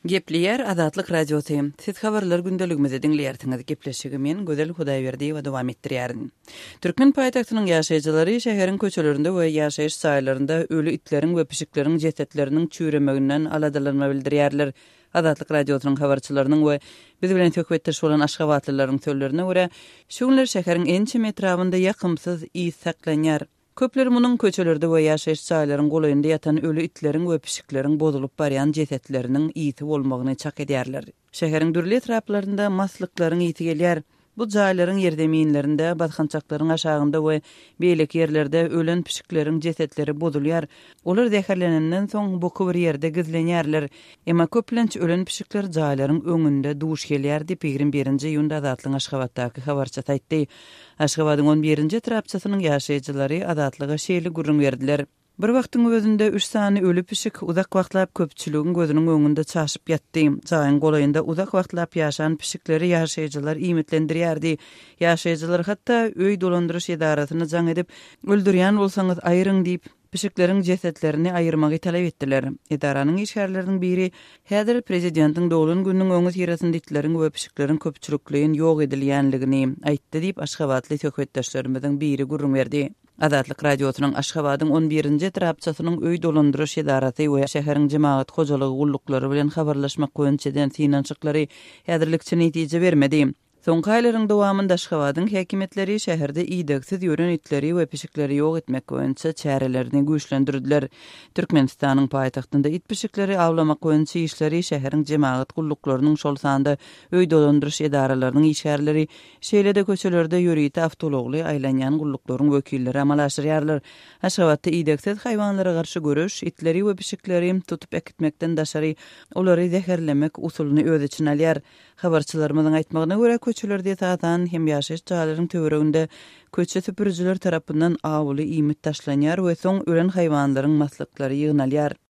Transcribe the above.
Gepleýär Azatlyk Radiosy. Siz habarlar gündeligimizi diňleýärsiňiz. Gepleşigi men, Gözel Hudaýberdiýewa dowam etdirýärin. Türkmen paýtagtynyň ýaşaýjylary şäheriň köçelerinde we ýaşaýyş jaýlarynda öli itleriň we pişikleriň jesetleriniň çüýremeginden aladalanma bildirýärler. Azatlyk Radiosynyň habarçylarynyň we biz bilen söhbetdeş bolan aşgabatlylaryň sözlerine görä, şu günler şäheriň ençeme etrabynda ýakymsyz ys saklanýar. Köpler munuň köçelerde we ýaşaýyş jaýlaryň golaýynda ýatan öli itleriň we pişikleriň bozulyp barýan jesetleriniň ysy bolmagyny çak edýärler. Şäheriň dürli etraplarynda maslyklaryň ysy gelýär. Bu jaýlaryň ýerzeminlerinde, basgançaklaryň aşagynda we beýleki ýerlerde ölen pişikleriň jesetleri bozulýar. Olar zäherlenenden soň buky bir ýerde gizlenýärler. Emma köplenç ölen pişikler jaýlaryň öňünde duş gelýär diýip, 21-nji iýunda Azatlygyň Aşgabatdaky habarçysy aýtdy. Aşgabadyň on birinji etrapçasynyň ýaşaýjylary Azatlyga şeýle gürrüň berdiler. Bir wagtyň özünde üç sany öli pişik uzak wagtlap köpçüligiň gözüniň öňünde çaşyp ýatdy. Jaýyň golaýynda uzak wagtlap ýaşan pişikleri ýaşaýjylar iýmitlendirýärdi. Ýaşaýjylar hatda öý dolandyryş edarasyna jaň edip, öldürýän bolsaňyz aýryň diýip, pişikleriň jesetlerini aýyrmagy talap etdiler. Edaranyň işgärleriniň biri, Häzir prezidentiň doglan gününiň öňüsyrasynda itleriň we pişikleriň köpçülikleýin ýok edilýänligini aýtdy diýip, aşgabatly söhbetdeşlerimiziň biri gürrüň berdi. Azatlyk Radiosynyň Aşgabadyň on birinji etrapçasynyň öý dolandyryş edarasy we şäheriň jemagat hojalygy gulluklary bilen habarlaşmak boýunça eden synanyşyklary häzirlikçe netije bermedi. Soňky aýlaryň dowamynda Aşgabadyň häkimiýetleri şäherde idegsiz ýören itleri we pişikleri ýok etmek boýunça çärelerini güýçlendirdiler. Türkmenistanyň paýtagtynda it-pişikleri awlamak boýunça işleri şäheriň jemagat gulluklarynyň, şol sanda öý dolandyryş edaralarynyň işgärleri, şeýle-de köçelerde ýörite awtoulagly aýlanýan gulluklaryň wekilleri amala aşyrýarlar. Aşgabatda idegsiz haýwanlara garşy göreş itleri we pişikleri tutup äkitmekden daşary, olary zäherlemek usulyny öz içine alýar. Habarçylarymyzyň aýtmagyna görä, köçelerde esasan hem ýaşaýyş jaýlaryň töwereginde köçe süpürijiler tarapyndan awuly iýmit taşlanýar we soň ölen haýwanlaryň maslyklary ýygnalýar.